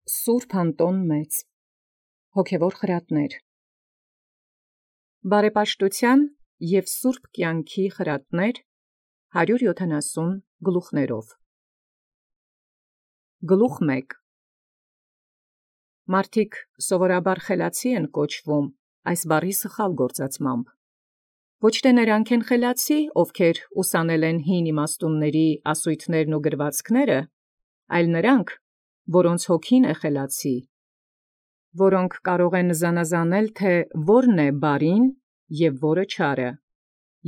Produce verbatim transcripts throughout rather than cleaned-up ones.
Սուրբ Անտոն Մեծ, հոգևոր խրատներ, բարեպաշտութեան և սուրբ կյանքի խրատներ հարյուր յոթանասուն գլուխներով։ Գլուխ մեկ. Մարդիկ սովորաբար խելացի են կոչվում այս բառի սխալ գործածմամբ։ Ոչ թե նրանք են խելացի, ովքեր ուսանել են հին իմաստունների ասույթներն ու գրվածքները, այլ նրանք, որոնց հոգին է խելացի, որոնք կարող են զանազանել, թե որն է բարին և որը չարը,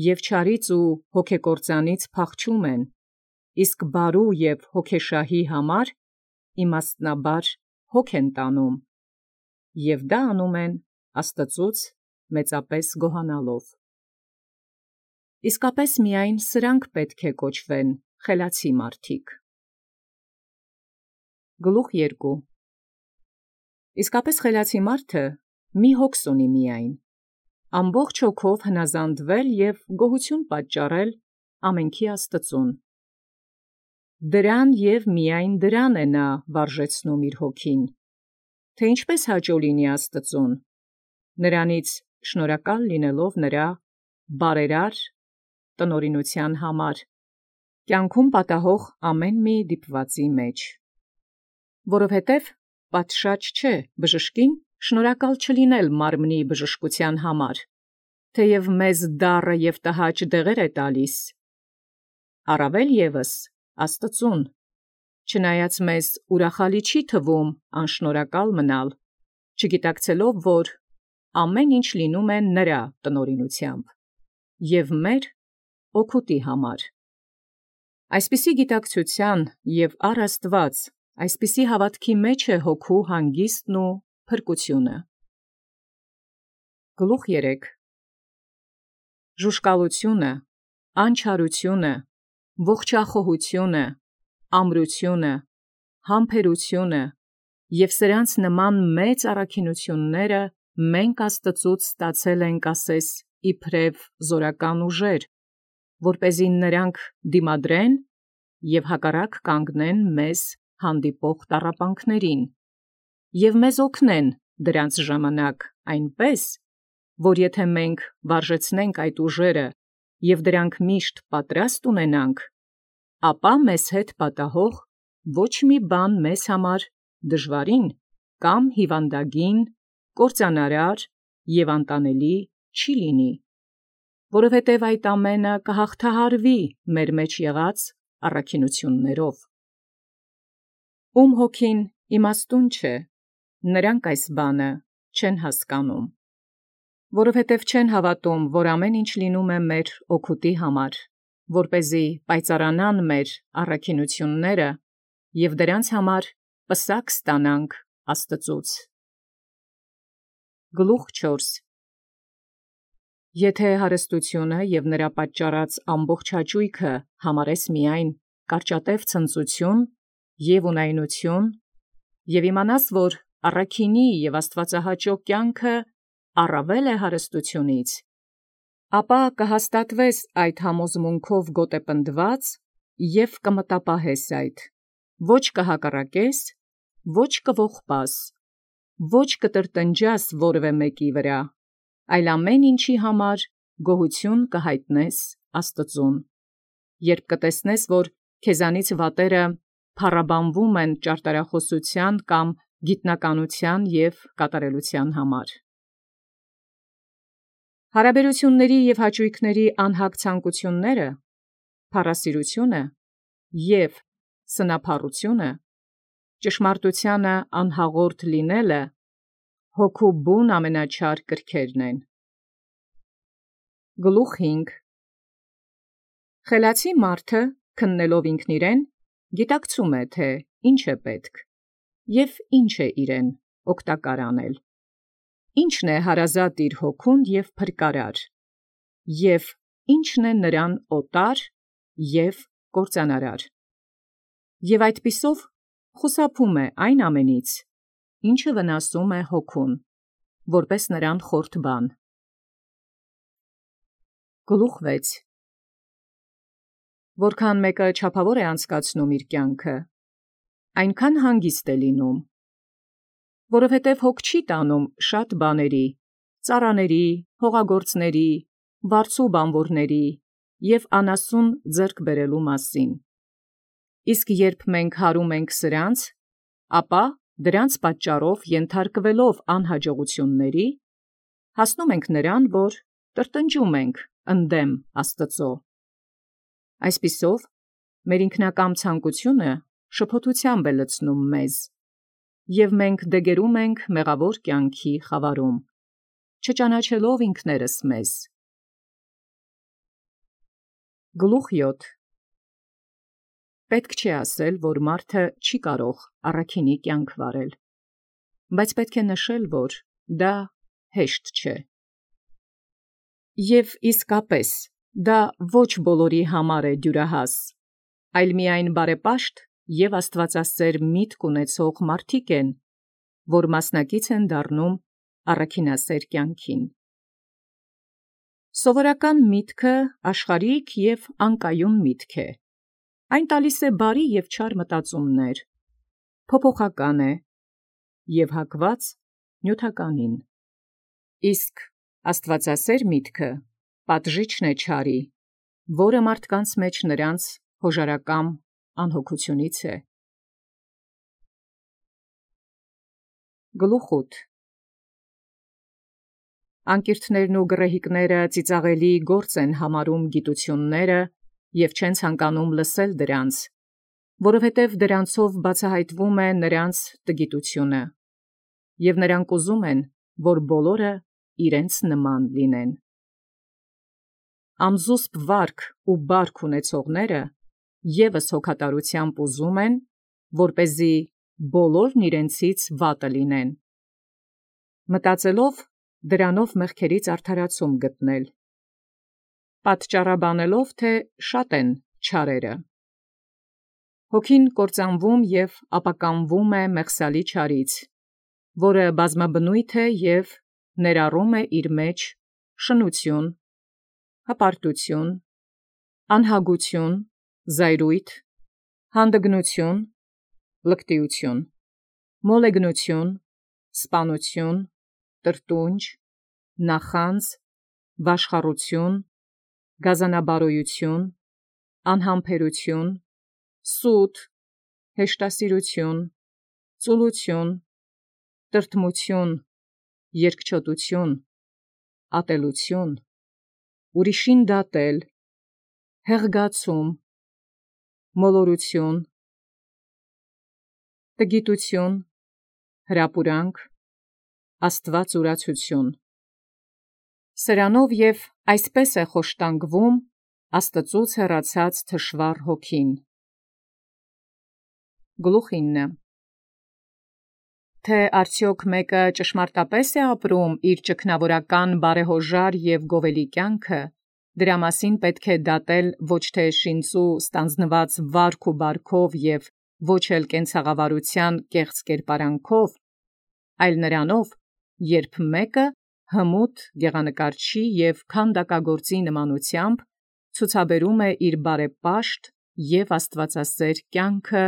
և չարից ու հոգեկործանից փախչում են, իսկ բարու և հոգեշահի համար իմաստնաբար հոգ են տանում, և դա անում են Աստծուց մեծապես գոհանալով։ Իսկապես միայն սրանք պետք է կոչվեն խելացի մարդիկ։ Գլուխ երկու. Իսկապես խելացի մարդը մի հոգս ունի միայն, ամբողջ հոգով հնազանդվել և գոհություն պատճառել ամենքի Աստծուն։ Դրան և միայն դրան է նա վարժեցնում իր հոգին, թե ինչպես հաճո լինի Աստծուն, նրանից շնորհակալ լինելով նրա բարերար տնօրինութեան համար, կյանքում պատահող ամեն մի դիպվածի մեջ։ Որովհետև պատշաճ չէ բժշկին շնորհակալ չլինել մարմնի բժշկութեան համար, թեև մեզ դառը և տհաճ դեղեր է տալիս, առավել ևս Աստծուն, չնայած մեզ ուրախալի չի թվում անշնորհակալ մնալ, չգիտակցելով, որ ամեն ինչ լինում է նրա տնօրինութեամբ և մեր օգուտի համար։ Այսպիսի գիտակցութեան և առ Աստուած այսպիսի հաւատքի մեջ է հոգու հանգիստն ու փրկությունը։ Գլուխ երեք. Ժուշկալությունը, անչարությունը, ողջախոհությունը, ամրությունը, համբերությունը և սրանց նման մեծ առաքինութիւնները մենք Աստծուց ստացել ենք ասես իբրև զորական ուժեր, որպեսզի նրանք դիմադրեն և հակառակ կանգնեն մեզ հանդիպող տառապանքներին, և մեզ օգնեն դրանց ժամանակ այնպես, որ եթե մենք վարժեցնենք այդ ուժերը և դրանք միշտ պատրաստ ունենանք, ապա մեզ հետ պատահող ոչ մի բան մեզ համար դժվարին կամ հիվանդագին, կործանարար և անտանելի չի լինի, որովհետև այդ ամենը կհաղթահարվի մեր մեջ եղած առաքինութիւններով։ Ում հոգին իմաստուն չէ, նրանք այս բանը չեն հասկանում, որովհետև չեն հավատում, որ ամեն ինչ լինում է մեր օգուտի համար, որպեսզի պայծառանան մեր առաքինութիւնները և դրանց համար պսակ ստանանք Աստծուց։ Գլուխ չորս. Եթե հարստությունը և նրա պատճառած ամբողջ հաճոյքը համարես միայն կարճատև ցնծութիւն և ունայնութիւն, և իմանաս, որ առաքինի և աստուածահաճո կյանքը առավել է հարստութիւնից, ապա կհաստատվես այդ համոզմունքով գոտեպնդված և կմտապահես այդ, ոչ կհակառակես, ոչ կողբաս, ոչ կտրտնջաս որևէ մեկի վրա, այլ ամեն ինչի համար գոհություն կյայտնես Աստծուն, երբ կտեսնես, որ քեզանից վատերը փառաբանվում են ճարտարախօսութեան կամ գիտնականութեան և կատարելութեան համար։ Հարաբերութիւնների և հաճոյքների անհագ ցանկութիւնները, փառասիրությունը և սնափառությունը, ճշմարտութեանը անհաղորդ լինելը հոգու բուն ամենաչար կրքերն են։ Գլուխ հինգ. Խելացի մարդը քննելով ինքն իրեն գիտակցում է, թե ինչ է պետք և ինչ է իրեն օգտակար անել, ինչն է հարազատ իր հոգուն և փրկարար, և ինչն է նրան օտար և կործանարար, և այդպիսով խուսափում է այն ամենից, ինչը վնասում է հոգուն, որպէս նրան խորթ բան։ Գլուխ վեց. Որքան մեկը չափավոր է անցկացնում իր կյանքը, այնքան հանգիստ է լինում, որովհետև հոգ չի տանում շատ բաների, ծառաների, հողագործների, վարձու բանվորների և անասուն ձեռք բերելու մասին։ Իսկ երբ մենք հարում ենք սրանց, ապա դրանց պատճառով ենթարկվելով անհաջողությունների, հասնում ենք նրան, որ տրտնջում ենք ընդդեմ Աստծո։ Այսպիսով, մեր ինքնակամ ցանկությունը շփոթությամբ է լցնում մեզ, և մենք դեգերում ենք մեղավոր կյանքի խավարում, չճանաչելով ինքներս մեզ։ Գլուխ յոթ. Պետք չէ ասել, որ մարդը չի կարող առաքինի կյանք վարել, բայց պետք է նշել, որ դա հեշտ չէ։ Եվ իսկապես, դա ոչ բոլորի համար է դյուրահաս, այլ միայն բարեպաշտ և աստվածասեր միտք ունեցող մարդիկ են, որ մասնակից են դառնում առաքինասեր կյանքին։ Սովորական միտքը աշխարհիկ և անկայուն միտք է, այն տալիս է բարի և չար մտածումներ, փոփոխական է և հակված նյութականին, իսկ աստվածասեր միտքը պատժիչն է չարի, որը մարդկանց մեջ նրանց հոժարակամ անհոգությունից է։ Գլուխ ութ. Անկիրթներն ու գռեհիկները ծիծաղելի գործ են համարում գիտությունները և չեն ցանկանում լսել դրանց, որովհետև դրանցով բացահայտվում է նրանց տգիտությունը, և նրանք ուզում են, որ բոլորը իրենց նման լինեն։ Ամզուսպ վարք ու բարք ունեցողները ևս հոգատարությամբ ուզում են, որպեսզի բոլորն իրենցից վատը լինեն, մտածելով դրանով մեղքերից արդարացում գտնել, պատճառաբանելով, թե շատ են չարերը։ Հոգին կործանվում և ապականվում է մեղսալի չարից, որը բազմաբնույթ է և ներառում է իր մեջ շնություն, հպարտություն, անհագություն, զայրույթ, հանդգնություն, լկտիություն, մոլեգնություն, սպանություն, տրտունջ, նախանձ, վաշխառություն, գազանաբարոյություն, անհամբերություն, սուտ, հեշտասիրություն, ծուլություն, տրտմություն, երկչոտություն, ատելություն, ուրիշին դատել, հեղգացում, մոլորություն, տգիտություն, հրապուրանք, աստվածուրացություն։ Սրանով և այսպես է խոշտանգվում Աստծուց հեռացած թշվառ հոգին։ Գլուխ ինը. Թե արդյոք մեկը ճշմարտապես է ապրում իր ճգնավորական բարեհոժար և գովելի կյանքը, դրա մասին պետք է դատել ոչ թե շինծու ստանձնված վարք ու բարքով և ոչ էլ կենցաղավարության կեղծ կերպարանքով, այլ նրանով, երբ մեկը հմուտ գեղանկարչի և քանդակագործի նմանությամբ ցուցաբերում է իր բարեպաշտ և աստվածասեր կյանքը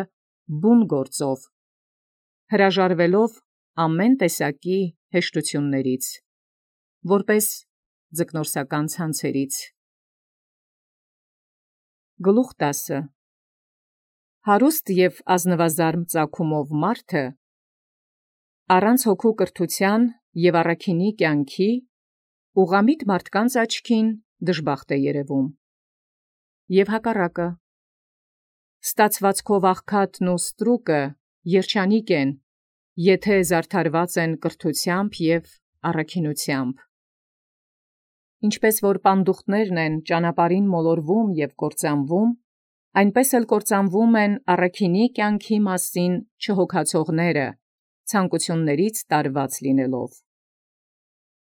բուն գործով, հրաժարվելով ամեն տեսակի հեշտություններից, որպես ձկնորսական ցանցերից։ Գլուխ տասը. Հարուստ և ազնվազարմ ծագումով մարդը առանց հոգու կրթության և առաքինի կյանքի ուղղամիտ մարդկանց աչքին դժբախտ է երևում, և հակառակը, ստացվածքով աղքատն ու ստրուկը երջանիկ են, եթե զարդարված են կրթությամբ և առաքինությամբ։ Ինչպես որ պանդուխտներն են ճանապարհին մոլորվում և կործանվում, այնպես էլ կործանվում են առաքինի կյանքի մասին չհոգացողները, ցանկություններից տարված լինելով։